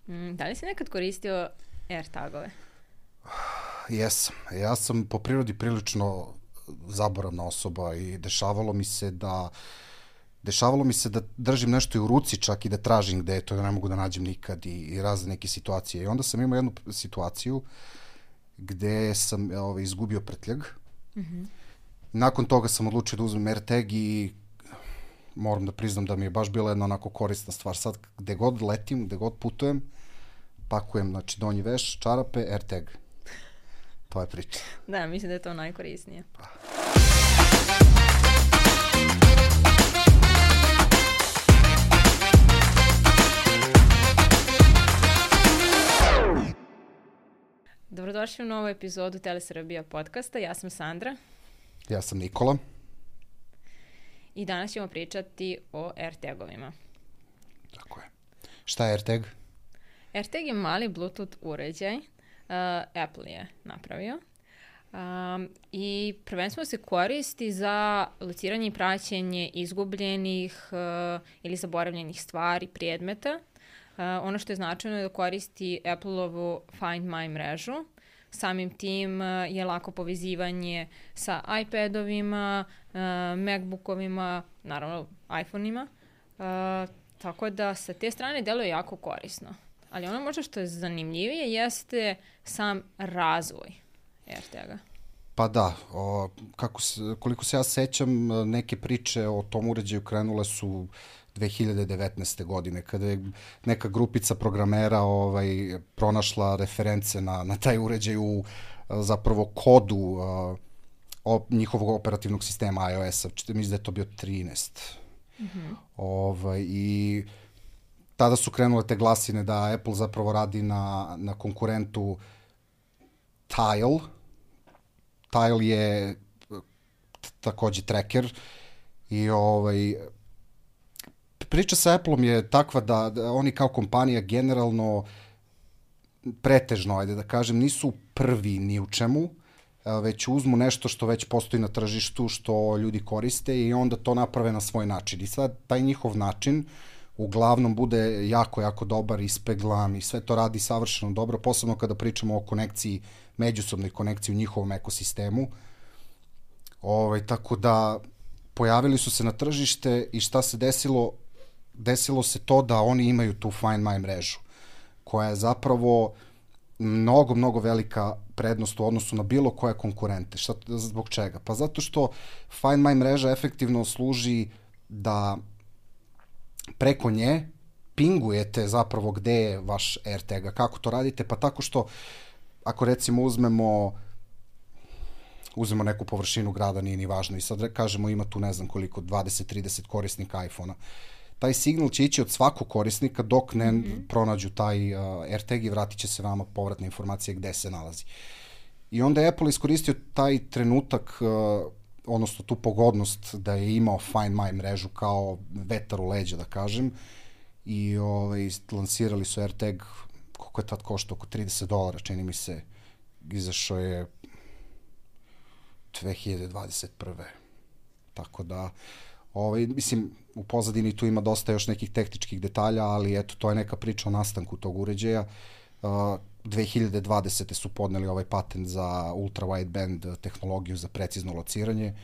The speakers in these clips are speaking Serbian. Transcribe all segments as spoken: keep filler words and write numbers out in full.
Mm, da li si nekad koristio AirTagove? Jesam. Ja sam po prirodi prilično zaboravna osoba i dešavalo mi se da dešavalo mi se da držim nešto i u ruci čak i da tražim gde je to, da ne mogu da nađem nikad i, i razne neke situacije. I onda sam imao jednu situaciju gde sam ovaj, izgubio prtljag. Mm-hmm. Nakon toga sam odlučio da uzmem AirTag i moram da priznam da mi je baš bila jedna onako korisna stvar. Sad gde god letim, gde god putujem, pakujem, znači donji veš, čarape, AirTag. To je priča. Da, mislim da je to najkorisnije. Dobrodošli u novu epizodu Telesrbija podcasta. Ja sam Sandra. Ja sam Nikola. I danas ćemo pričati o AirTagovima. Tako je. Šta je AirTag? AirTag je mali Bluetooth uređaj. Uh, Apple je napravio. Um, I prvenstveno se koristi za lociranje i praćenje izgubljenih uh, ili zaboravljenih stvari, predmeta. Uh, ono što je značajno je da koristi Apple-ovu Find My mrežu. Samim tim uh, je lako povezivanje sa iPadovima, uh, MacBookovima, naravno iPhone-ima. Uh, tako da sa te strane deluje jako korisno. Ali ono možda što je zanimljivije jeste sam razvoj AirTaga. Pa da, o, kako se, koliko se ja sećam, neke priče o tom uređaju krenule su dve hiljade devetnaeste. godine, kada je neka grupica programera ovaj, pronašla reference na, na taj uređaj u zapravo kodu a, o, njihovog operativnog sistema iOS-a. Mislim da je to bio trinaest. Mm-hmm. Ovaj, I tada su krenule te glasine da Apple zapravo radi na, na konkurentu Tile. Tile je takođe tracker i ovaj, priča sa Appleom je takva da, da oni kao kompanija generalno pretežno, ajde da kažem, nisu prvi ni u čemu, već uzmu nešto što već postoji na tržištu, što ljudi koriste i onda to naprave na svoj način. I sad taj njihov način uglavnom bude jako, jako dobar, ispeglan i sve to radi savršeno dobro, posebno kada pričamo o konekciji, međusobnoj konekciji u njihovom ekosistemu. Ovaj, tako da pojavili su se na tržište i šta se desilo? Desilo se to da oni imaju tu Find My mrežu, koja je zapravo mnogo, mnogo velika prednost u odnosu na bilo koje konkurente. Šta, zbog čega? Pa zato što Find My mreža efektivno služi da preko nje pingujete zapravo gde je vaš AirTag. Kako to radite? Pa tako što ako recimo uzmemo uzmemo neku površinu grada, nije ni važno, i sad kažemo ima tu ne znam koliko, dvadeset trideset korisnika iPhona. Taj signal će ići od svakog korisnika dok ne mm-hmm. pronađu taj uh, AirTag i vratit će se vama povratne informacije gde se nalazi. I onda je Apple iskoristio taj trenutak, uh, odnosno tu pogodnost da je imao Find My mrežu kao vetar u leđa, da kažem, i ovaj, lansirali su AirTag, koliko je tad koštao, oko trideset dolara, čini mi se, izašao je dve hiljade dvadeset prve. Tako da, ovaj, mislim, u pozadini tu ima dosta još nekih tehničkih detalja, ali eto, to je neka priča o nastanku tog uređaja. Uh, dve hiljade dvadesete. su podneli ovaj patent za ultra wideband tehnologiju za precizno lociranje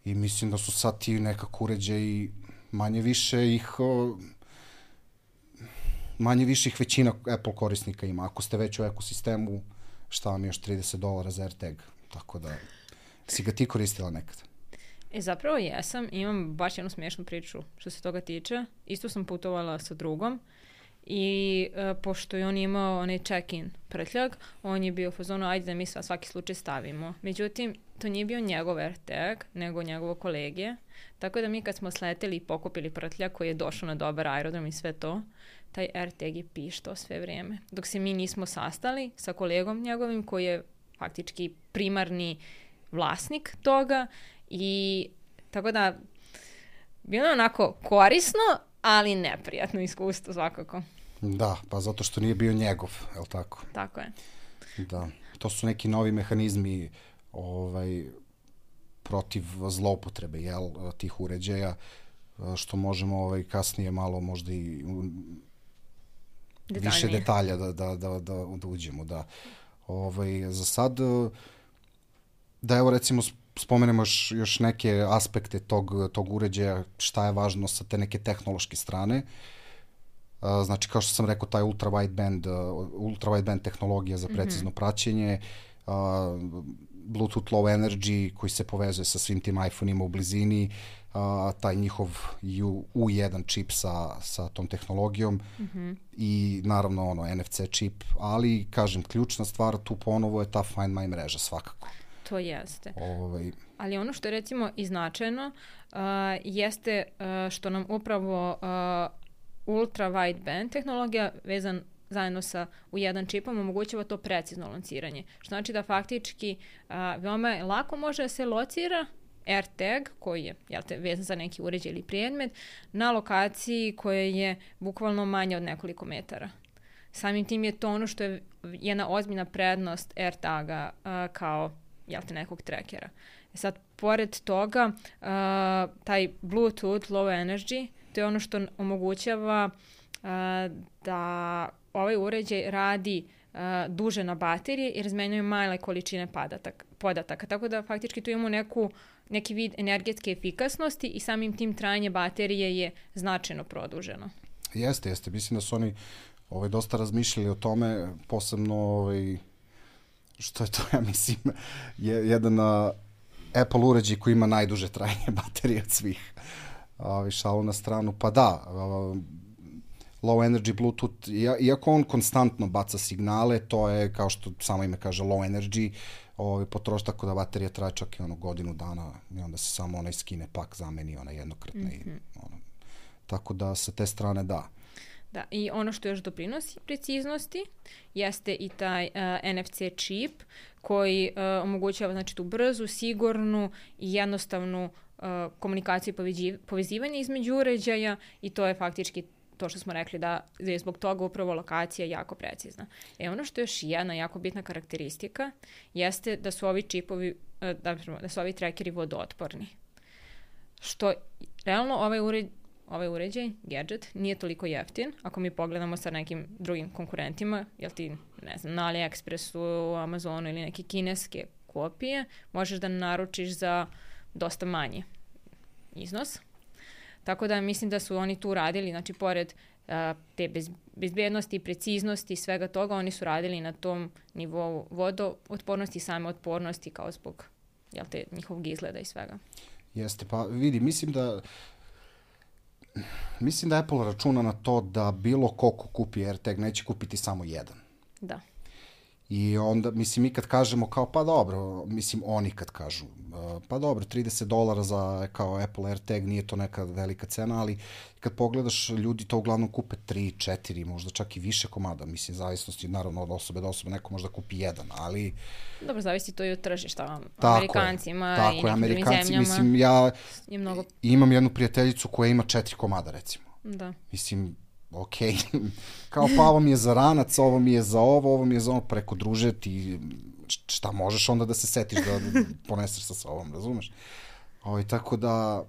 i mislim da su sad ti nekako uređaji manje više ih manje više ih većina Apple korisnika ima. Ako ste već u ekosistemu, šta vam je još trideset dolara za AirTag? Tako da, si ga ti koristila nekad? E, zapravo jesam. Imam baš jednu smiješnu priču što se toga tiče. Isto sam putovala sa drugom i uh, pošto je on imao onaj check-in prtljag, on je bio u fazonu, ajde da mi sva svaki slučaj stavimo. Međutim, to nije bio njegov AirTag, nego njegovo kolege. Tako da mi kad smo sleteli i pokupili prtljag koji je došao na dobar aerodrom i sve to, taj AirTag je pištao sve vrijeme. Dok se mi nismo sastali sa kolegom njegovim koji je faktički primarni vlasnik toga i tako da bilo je onako korisno, ali neprijatno iskustvo svakako. Da, pa zato što nije bio njegov, je li tako? Tako je. Da, to su neki novi mehanizmi ovaj, protiv zloupotrebe, jel, tih uređaja, što možemo ovaj, kasnije malo možda i detaljnije. Više detalja da, da, da, da, da uđemo, da. Ovaj, za sad, da evo recimo spomenemo još, još neke aspekte tog, tog uređaja, šta je važno sa te neke tehnološke strane. Znači, kao što sam rekao, taj ultra wideband, ultra wideband tehnologija za precizno mm-hmm. praćenje, uh, Bluetooth Low Energy koji se povezuje sa svim tim iPhone-ima u blizini, uh, taj njihov U jedan čip sa, sa tom tehnologijom mm-hmm. i naravno ono N F C čip, ali kažem, ključna stvar tu ponovo je ta Find My mreža svakako. To jeste. Ovaj... Ali ono što je recimo i značajno uh, jeste uh, što nam upravo uh, ultra wideband tehnologija vezan zajedno sa U jedan čipom omogućava to precizno lociranje. Što znači da faktički a, veoma lako može da se locira AirTag koji je jel te, vezan za neki uređaj ili predmet na lokaciji koja je bukvalno manja od nekoliko metara. Samim tim je to ono što je jedna ozbiljna prednost AirTaga a, kao jel te, nekog trackera. Sad, pored toga, a, taj Bluetooth Low Energy to je ono što omogućava uh, da ovaj uređaj radi uh, duže na baterije i razmenjuje male količine padatak, podataka. Tako da faktički tu imamo neku, neki vid energetske efikasnosti i samim tim trajanje baterije je značajno produženo. Jeste, jeste. Mislim da su oni ovaj, dosta razmišljali o tome, posebno ovaj, što je to, ja mislim, je jedan uh, Apple uređaj koji ima najduže trajanje baterije od svih. Uh, šalu na stranu, pa da, uh, low energy Bluetooth, iako on konstantno baca signale, to je, kao što samo ime kaže, low energy, ovaj, potroši tako da baterija traje čak i ono godinu dana i onda se samo onaj skine pak, zameni onaj jednokratni. Mm-hmm. Ono, tako da sa te strane da. Da, i ono što još doprinosi preciznosti jeste i taj uh, N F C čip koji uh, omogućava znači, tu brzu, sigurnu i jednostavnu uh, komunikaciju i povezivanje između uređaja i to je faktički to što smo rekli da je zbog toga upravo lokacija jako precizna. E ono što je još jedna jako bitna karakteristika jeste da su ovi čipovi, uh, da, da su ovi trackeri vodootporni. Što realno ovaj uređaj Ovaj uređaj, gadget, nije toliko jeftin. Ako mi pogledamo sa nekim drugim konkurentima, jel ti, ne znam, na AliExpressu, Amazonu ili neke kineske kopije, možeš da naručiš za dosta manji iznos. Tako da mislim da su oni tu radili, znači pored uh, te bez, bezbednosti, preciznosti i svega toga, oni su radili na tom nivou vodootpornosti i same otpornosti kao zbog jel te, njihovog izgleda i svega. Jeste, pa vidi, mislim da Mislim da Apple računa na to da bilo ko ko kupi AirTag neće kupiti samo jedan. Da. I onda, mislim, mi kad kažemo kao, pa dobro, mislim, oni kad kažu, pa dobro, trideset dolara za kao Apple AirTag nije to neka velika cena, ali kad pogledaš, ljudi to uglavnom kupe tri, četiri, možda čak i više komada, mislim, zavisnosti, naravno, od osobe do osobe, neko možda kupi jedan, ali... Dobro, zavisi to i od tržišta, tako Amerikancima tako i nekim Amerikanci, drugim zemljama. Mislim, ja mnogo... imam jednu prijateljicu koja ima četiri komada, recimo. Da. Mislim, ok, kao pa ovo mi je za ranac, ovo mi je za ovo, ovo mi je za ono, preko druže ti šta možeš onda da se setiš da, da poneseš sa sobom, razumeš? O, tako da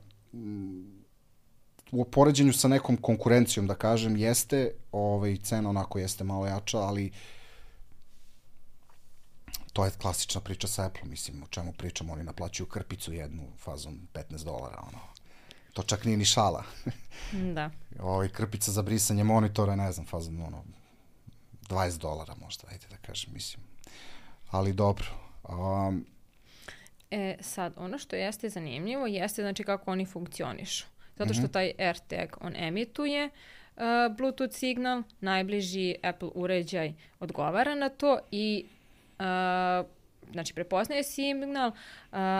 u poređenju sa nekom konkurencijom, da kažem, jeste, ovaj, cena onako jeste malo jača, ali to je klasična priča sa Apple, mislim, o čemu pričamo, oni naplaćuju krpicu jednu fazom petnaest dolara, ono. To čak nije ni šala. Da. Ovaj krpica za brisanje monitora, ne znam, fazom ono dvadeset dolara možda, ajde da kažem, mislim. Ali dobro. Um, e, sad, ono što jeste zanimljivo jeste znači kako oni funkcionišu. Zato što mm-hmm. taj AirTag, on emituje uh, Bluetooth signal, najbliži Apple uređaj odgovara na to i uh, znači prepoznaje signal, uh,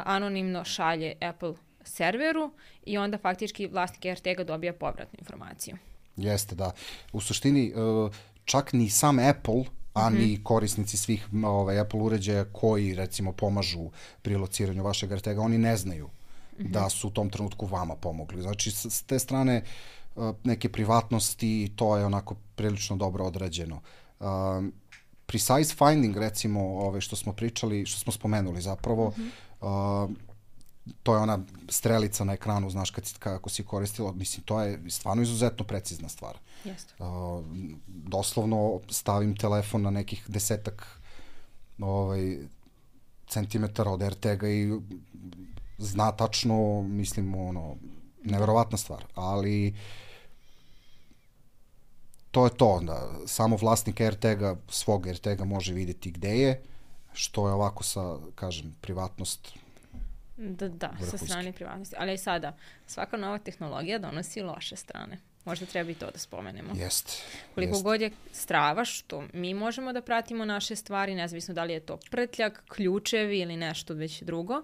anonimno šalje Apple serveru i onda faktički vlasnik AirTaga dobija povratnu informaciju. Jeste, da. U suštini, čak ni sam Apple, a mm-hmm. ni korisnici svih ovaj, Apple uređaja koji, recimo, pomažu pri lociranju vašeg AirTaga, oni ne znaju mm-hmm. da su u tom trenutku vama pomogli. Znači, s te strane neke privatnosti, to je onako prilično dobro odrađeno. Um, precise finding, recimo, ove, što smo pričali, što smo spomenuli zapravo, mm-hmm. uh, to je ona strelica na ekranu, znaš, kad si, kako si koristila, mislim, to je stvarno izuzetno precizna stvar. Jeste. Uh, doslovno stavim telefon na nekih desetak ovaj, centimetara od AirTaga i zna tačno, mislim, ono, neverovatna stvar, ali to je to, da samo vlasnik AirTaga, svog AirTaga može vidjeti gde je, što je ovako sa, kažem, privatnost. Da, da, sa strane privatnosti. Ali i sada, svaka nova tehnologija donosi loše strane. Možda treba i to da spomenemo. Jeste. Koliko jest. god je strava, što mi možemo da pratimo naše stvari, nezavisno da li je to prtljak, ključevi ili nešto već drugo.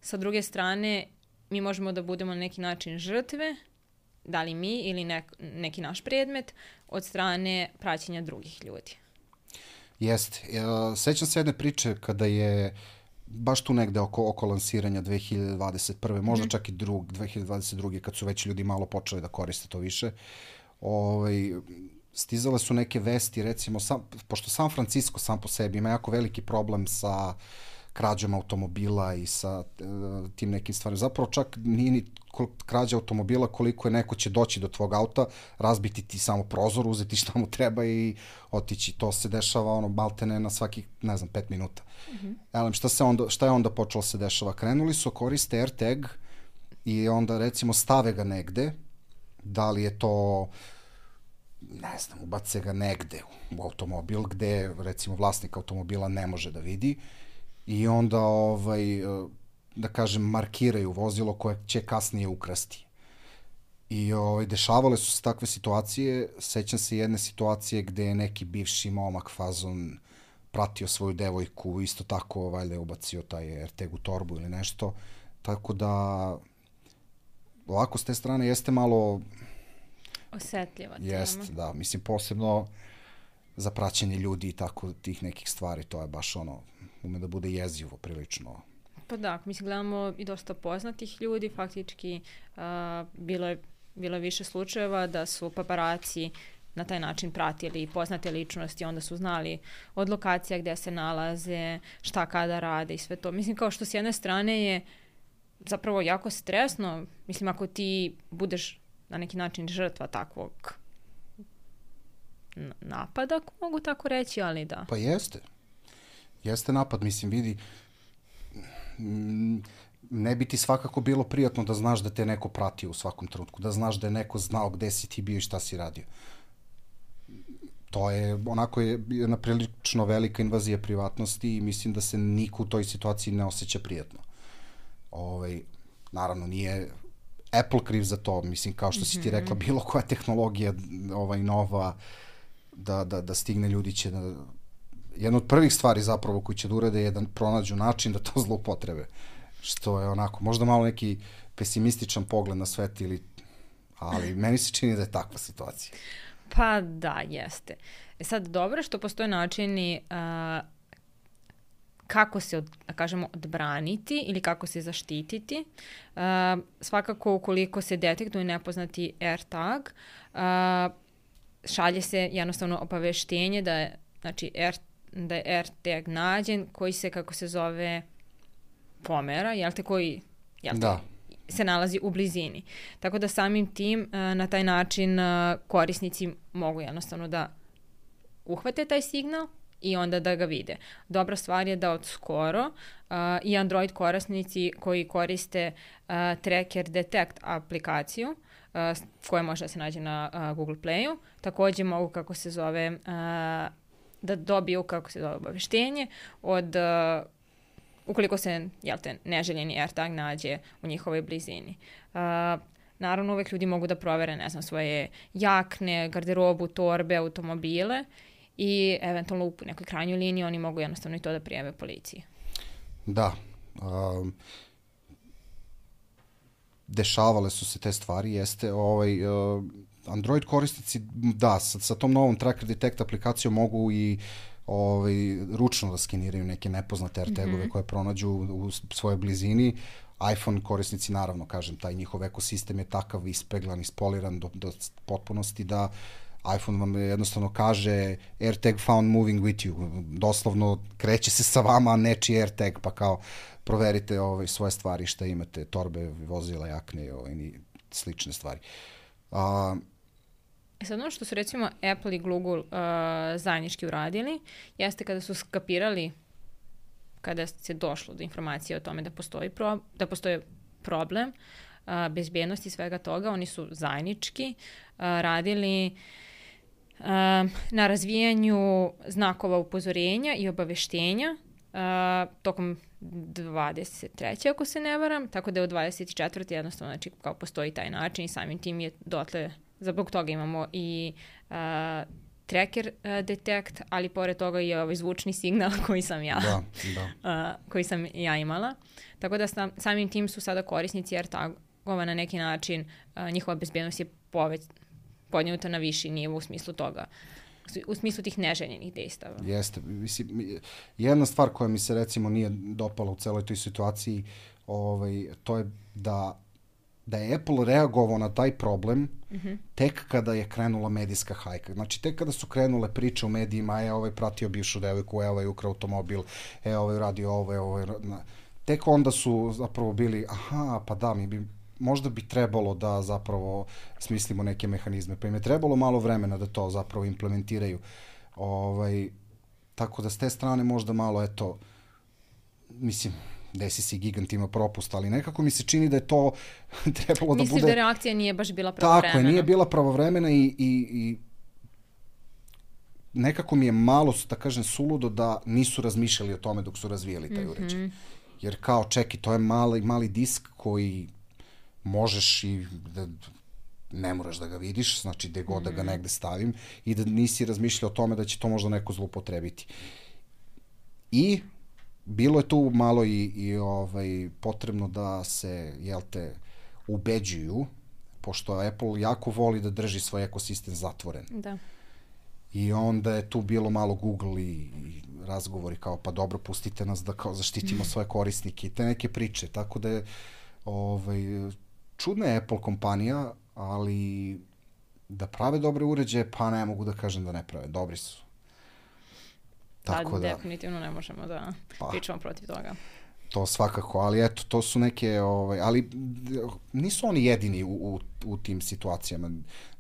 Sa druge strane, mi možemo da budemo na neki način žrtve, da li mi ili nek, neki naš predmet, od strane praćenja drugih ljudi. Jeste. Sećam se jedne priče kada je baš tu negde oko, oko lansiranja dve hiljade dvadeset prve. možda mm. čak i drug, dve hiljade dvadeset druge. kad su već ljudi malo počeli da koriste to više. Ovaj, stizale su neke vesti, recimo, sam, pošto San Francisco sam po sebi ima jako veliki problem sa krađom automobila i sa uh, tim nekim stvarima. Zapravo čak nije ni krađa automobila koliko je neko će doći do tvog auta, razbiti ti samo prozor, uzeti šta mu treba i otići. To se dešava ono maltene na svakih, ne znam, pet minuta. Mm-hmm. Elem, šta, se onda, šta je onda počelo se dešava? Krenuli su koriste AirTag i onda recimo stave ga negde, da li je to, ne znam, ubace ga negde u automobil gde recimo vlasnik automobila ne može da vidi i onda ovaj, da kažem markiraju vozilo koje će kasnije ukrasti. I ovaj, dešavale su se takve situacije. Sećam se jedne situacije gde je neki bivši momak fazon pratio svoju devojku, isto tako valjda je ubacio taj AirTag u torbu ili nešto. Tako da ovako s te strane jeste malo osetljiva tema. Jest, da. Mislim, posebno za praćenje ljudi i tako tih nekih stvari, to je baš ono, ume da bude jezivo prilično. Pa da, mislim, gledamo i dosta poznatih ljudi, faktički uh, bilo je, bilo je više slučajeva da su paparaci na taj način pratili poznate ličnosti, onda su znali od lokacija gde se nalaze, šta kada rade i sve to. Mislim, kao što s jedne strane je zapravo jako stresno, mislim, ako ti budeš na neki način žrtva takvog napada, ako mogu tako reći, ali da. Pa jeste. Jeste napad, mislim, vidi, ne bi ti svakako bilo prijatno da znaš da te neko pratio u svakom trenutku, da znaš da je neko znao gde si ti bio i šta si radio. To je, onako je jedna prilično velika invazija privatnosti i mislim da se niko u toj situaciji ne osjeća prijatno. Ovaj, naravno, nije Apple kriv za to, mislim, kao što si ti rekla, bilo koja tehnologija ovaj, nova da, da, da stigne ljudi će da... Jedna od prvih stvari zapravo koji će da urade je da pronađu način da to zloupotrebe. Što je onako, možda malo neki pesimističan pogled na svet, ili, ali meni se čini da je takva situacija. Pa da, jeste. E sad, dobro što postoje načini uh, kako se, od, da kažemo, odbraniti ili kako se zaštititi. Uh, svakako, ukoliko se detektuje nepoznati AirTag, uh, šalje se jednostavno obaveštenje da je, znači, Air, da je AirTag nađen, koji se, kako se zove, pomera, jel te, koji jel te, da. se nalazi u blizini. Tako da samim tim, na taj način korisnici mogu jednostavno da uhvate taj signal i onda da ga vide. Dobra stvar je da od skoro uh, i Android korisnici koji koriste uh, Tracker Detect aplikaciju, uh, koja može da se nađe na uh, Google Playu, takođe mogu, kako se zove, uh, da dobiju, kako se zove, obaveštenje od uh, ukoliko se, jel te, neželjeni AirTag nađe u njihovoj blizini. Uh, naravno, uvek ljudi mogu da provere, ne znam, svoje jakne, garderobu, torbe, automobile i eventualno u nekoj krajnjoj liniji oni mogu jednostavno i to da prijave policiji. Da. Um, dešavale su se te stvari, jeste. Ovaj, uh, Android korisnici, da, sa, sa tom novom Tracker Detect aplikacijom mogu i ovaj, ručno da skeniraju neke nepoznate AirTagove mm-hmm. koje pronađu u svojoj blizini. iPhone korisnici, naravno, kažem, taj njihov ekosistem je takav ispeglan, ispoliran do, do potpunosti da iPhone vam jednostavno kaže AirTag found moving with you. Doslovno kreće se sa vama nečiji AirTag, pa kao proverite ovaj, svoje stvari, šta imate, torbe, vozila, jakne ovaj, i slične stvari. A, E sad ono što su recimo Apple i Google uh, zajednički uradili, jeste kada su skapirali, kada se došlo do informacije o tome da postoji, pro, da postoji problem uh, bezbjednosti svega toga, oni su zajednički uh, radili uh, na razvijanju znakova upozorenja i obaveštenja uh, tokom dvadeset treće ako se ne varam, tako da je od dvadeset četvrte jednostavno znači kao postoji taj način i samim tim je dotle, zbog toga imamo i uh, tracker uh, detect, ali pored toga i ovaj zvučni signal koji sam ja da, da. Uh, koji sam ja imala. Tako da sam, samim tim su sada korisnici AirTagova na neki način, uh, njihova bezbjednost je poveć, podnjuta na viši nivo u smislu toga, u smislu tih neželjenih dejstava. Jeste. Mislim, jedna stvar koja mi se recimo nije dopala u celoj toj situaciji, ovaj, to je da, da je Apple reagovao na taj problem mm-hmm. tek kada je krenula medijska hajka. Znači, tek kada su krenule priče u medijima, e, ovaj pratio bivšu devojku, e, ovaj ukrao automobil, e, ovaj radio ovo, e, ovaj... Tek onda su zapravo bili, aha, pa da, mi bi možda bi trebalo da zapravo smislimo neke mehanizme. Pa im je trebalo malo vremena da to zapravo implementiraju. Ovaj, tako da s te strane možda malo, eto, mislim, desi se Gigant ima propust, ali nekako mi se čini da je to trebalo da Misliš bude... Misliš da reakcija nije baš bila pravovremena? Tako je, nije bila pravovremena i, i, i nekako mi je malo, da kažem, suludo da nisu razmišljali o tome dok su razvijali taj uređaj. Mm-hmm. Jer kao, čeki, to je mali, mali disk koji možeš i da ne moraš da ga vidiš, znači gde god mm-hmm. da ga negde stavim i da nisi razmišljao o tome da će to možda neko zloupotrebiti. I bilo je tu malo i, i ovaj, potrebno da se, jel te, ubeđuju, pošto Apple jako voli da drži svoj ekosistem zatvoren. Da. I onda je tu bilo malo Google i, i razgovori kao, pa dobro, pustite nas da kao zaštitimo svoje korisnike i te neke priče. Tako da je ovaj, čudna je Apple kompanija, ali da prave dobre uređaje, pa ne mogu da kažem da ne prave. Dobri su. Tako da, definitivno ne možemo da pa, pričamo protiv toga. To svakako, ali eto, to su neke, ovaj, ali nisu oni jedini u, u, u tim situacijama.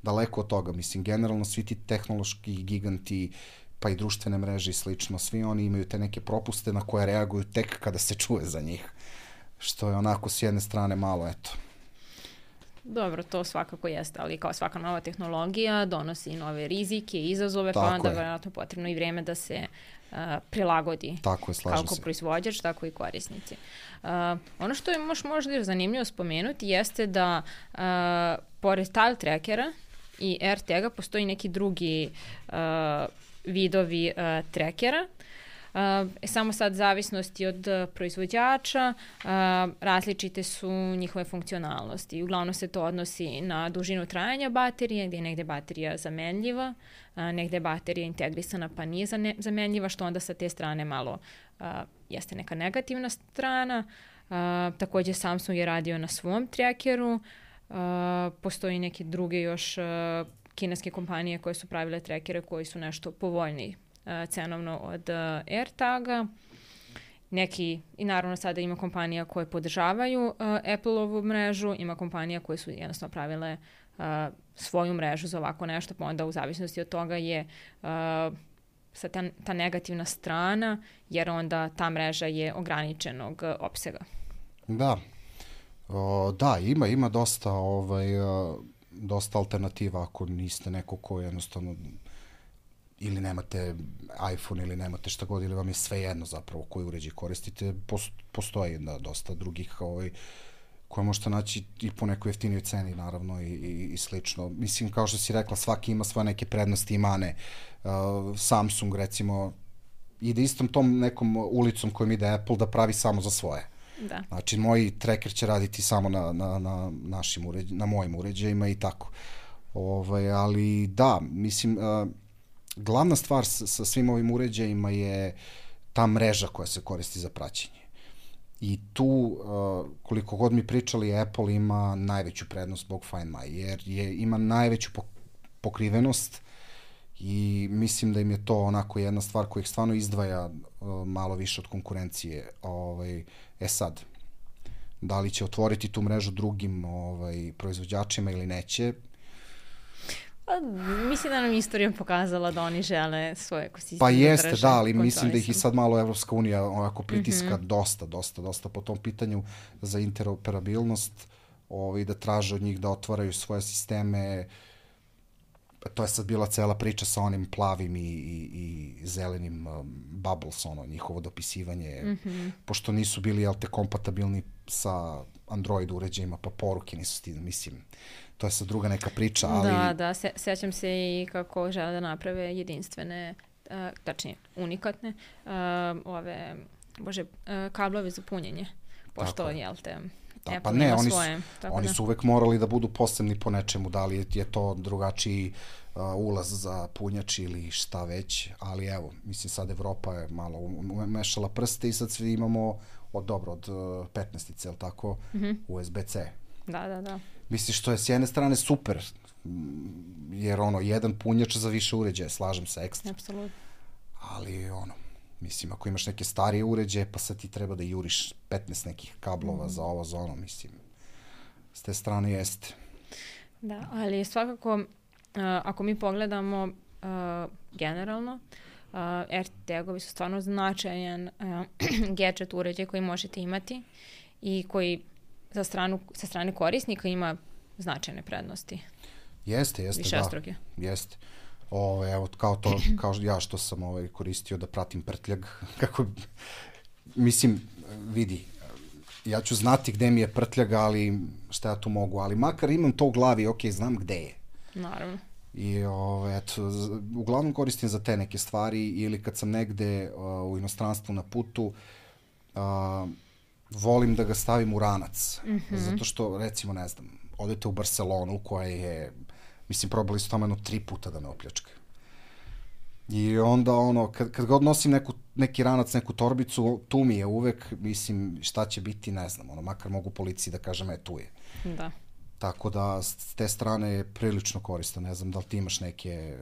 Daleko od toga, mislim, generalno svi ti tehnološki giganti, pa i društvene mreže i slično, svi oni imaju te neke propuste na koje reaguju tek kada se čuje za njih. Što je onako s jedne strane malo, eto. Dobro, to svakako jeste, ali kao svaka nova tehnologija donosi nove rizike, izazove, tako pa onda je. Vjerojatno potrebno i vrijeme da se uh, prilagodi. Tako je, slažem kako se. Proizvođač, tako i korisnici. Uh, ono što je moš, možda zanimljivo spomenuti jeste da uh, pored tile trackera i AirTaga postoji neki drugi uh, vidovi uh, trackera. Uh, samo sad zavisnosti od uh, proizvođača, uh, različite su njihove funkcionalnosti. Uglavnom se to odnosi na dužinu trajanja baterije, gdje je negde baterija zamenljiva, uh, negde je baterija integrisana pa nije zane- zamenljiva, što onda sa te strane malo uh, jeste neka negativna strana. Uh, također Samsung je radio na svom trackeru, uh, postoji neke druge još uh, kineske kompanije koje su pravile trackere koji su nešto povoljniji cenovno od uh, AirTaga. Neki, i naravno sada ima kompanija koje podržavaju uh, Apple-ovu mrežu, ima kompanija koje su jednostavno pravile uh, svoju mrežu za ovako nešto, pa onda u zavisnosti od toga je uh, sa ta, ta negativna strana, jer onda ta mreža je ograničenog uh, opsega. Da. O, da, ima, ima dosta, ovaj, uh, dosta alternativa ako niste neko ko jednostavno ili nemate iPhone ili nemate šta god, ili vam je sve jedno zapravo koji uređaj koristite, postoji da, dosta drugih ovaj, koje možete naći i po nekoj jeftinijoj ceni, naravno, i, i, i slično. Mislim, kao što si rekla, svaki ima svoje neke prednosti i mane. Uh, Samsung, recimo, ide istom tom nekom ulicom kojom ide Apple da pravi samo za svoje. Da. Znači, moj tracker će raditi samo na, na, na, našim uređ, na mojim uređajima i tako. Ovaj, ali da, mislim... Uh, glavna stvar sa, sa svim ovim uređajima je ta mreža koja se koristi za praćenje. I tu, uh, koliko god mi pričali, Apple ima najveću prednost zbog Find My, jer je, ima najveću pokrivenost i mislim da im je to onako jedna stvar koja ih stvarno izdvaja uh, malo više od konkurencije. Ovaj, e sad, da li će otvoriti tu mrežu drugim ovaj, proizvođačima ili neće? Pa, mislim da nam istorija pokazala da oni žele svoje ekosisteme. Pa jeste, da, ali mislim da ih i sad malo Evropska unija onako pritiska mm-hmm. dosta, dosta, dosta po tom pitanju za interoperabilnost, ovaj, da traže od njih da otvaraju svoje sisteme. To je sad bila cela priča sa onim plavim i, i, i zelenim um, bubbles, ono, njihovo dopisivanje, mm-hmm. pošto nisu bili, jel te, kompatibilni sa Android uređajima, pa poruke nisu stigli, mislim, to je sad druga neka priča, ali... Da, da, se, sećam se i kako žele da naprave jedinstvene, uh, tačnije, unikatne, uh, ove, bože, uh, kablove za punjenje, pošto, jel te... Da, pa ne, oni su, oni su uvek morali da budu posebni po nečemu, da li je, je to drugačiji uh, ulaz za punjač ili šta već, ali evo, mislim sad Evropa je malo umešala prste i sad svi imamo od dobro, od uh, petnaestice, jel tako, mm-hmm. U S B C. Da, da, da. Misliš, što je s jedne strane super, jer ono, jedan punjač za više uređaja, slažem se, ekstra. Apsolutno. Ali ono, mislim, ako imaš neke starije uređaje, pa sad ti treba da juriš petnaest nekih kablova mm. za ovo, za ono, mislim. S te strane jeste. Da, ali svakako, uh, ako mi pogledamo uh, generalno, uh, AirTagovi su stvarno značajan uh, gadget uređaj koji možete imati i koji za stranu, sa strane korisnika ima značajne prednosti. Jeste, jeste, Višestruke. Da. Jeste. O, evo, kao to, kao ja što sam ovaj, koristio da pratim prtljag, kako, mislim, vidi, ja ću znati gde mi je prtljag, ali šta ja tu mogu, ali makar imam to u glavi, ok, znam gde je. Naravno. I, o, eto, uglavnom koristim za te neke stvari, ili kad sam negde uh, u inostranstvu na putu, uh, volim da ga stavim u ranac, mm-hmm. zato što, recimo, ne znam, odete u Barcelonu, koja je, mislim, probali su tamo jedno tri puta da me opljačkaju. I onda, ono, kad, kad god nosim neku, neki ranac, neku torbicu, tu mi je uvek, mislim, šta će biti, ne znam, ono, makar mogu policiji da kažem, e, tu je. Da. Tako da, s te strane je prilično korisno. Ne znam da li ti imaš neke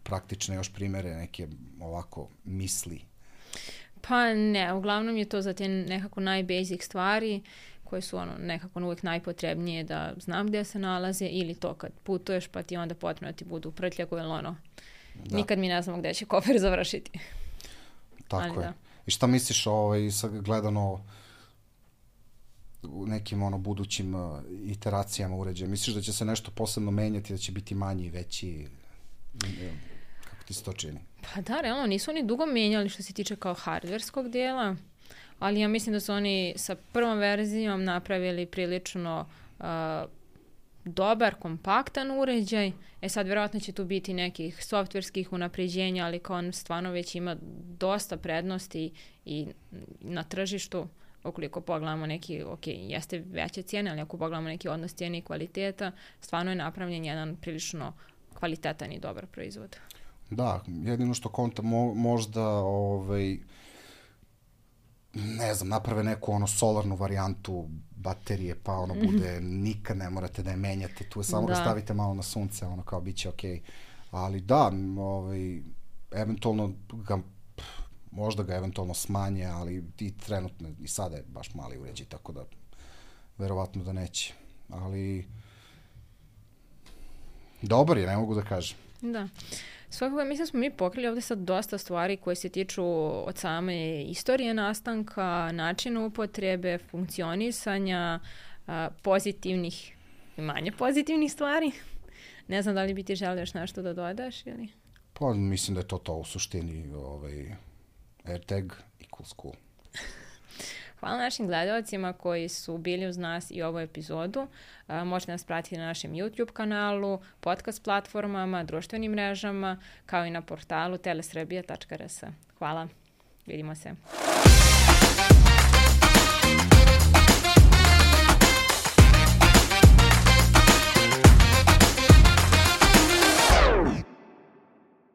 praktične još primere, neke ovako misli? Pa ne, uglavnom je to za te nekako najbasic stvari koje su ono nekako uvijek najpotrebnije da znam gdje se nalaze, ili to kad putuješ pa ti onda potrebno ti budu u prtljagu ili ono, da. Nikad mi ne znamo gdje će kofer završiti. Tako ali je. Da. I šta misliš ovaj, sad gledano u nekim ono budućim uh, iteracijama uređaja? Misliš da će se nešto posebno menjati, da će biti manji i veći? Kako ti se to čini? Pa da, realno, nisu oni dugo menjali što se tiče kao hardverskog dijela, ali ja mislim da su oni sa prvom verzijom napravili prilično uh, dobar, kompaktan uređaj. E sad, vjerojatno će tu biti nekih softverskih unapređenja, ali kao on stvarno već ima dosta prednosti i na tržištu. Ukoliko pogledamo neki, ok, jeste veće cijene, ali ako pogledamo neki odnos cijene i kvaliteta, stvarno je napravljen jedan prilično kvalitetan i dobar proizvod. Da, jedino što konta mo, možda ovaj, ne znam, naprave neku ono solarnu varijantu baterije, pa ono bude, nikad ne morate da je menjate, tu je samo da, da stavite malo na sunce, ono kao bit će okej. Okay. Ali da, ovaj, eventualno ga, možda ga eventualno smanje, ali i trenutno i sada je baš mali uređaj, tako da verovatno da neće. Ali dobar je, ne mogu da kažem. Da. Svakako, mislim smo mi pokrili ovdje sad dosta stvari koje se tiču od same istorije nastanka, načina upotrebe, funkcionisanja, pozitivnih i manje pozitivnih stvari. Ne znam da li bi ti želio još nešto da dodaš ili? Pa mislim da je to to u suštini, ovaj, AirTag equals cool. Hvala našim gledalcima koji su bili uz nas i ovu epizodu. Uh, možete nas pratiti na našem YouTube kanalu, podcast platformama, društvenim mrežama, kao i na portalu telesrebija tačka r s. Hvala. Vidimo se.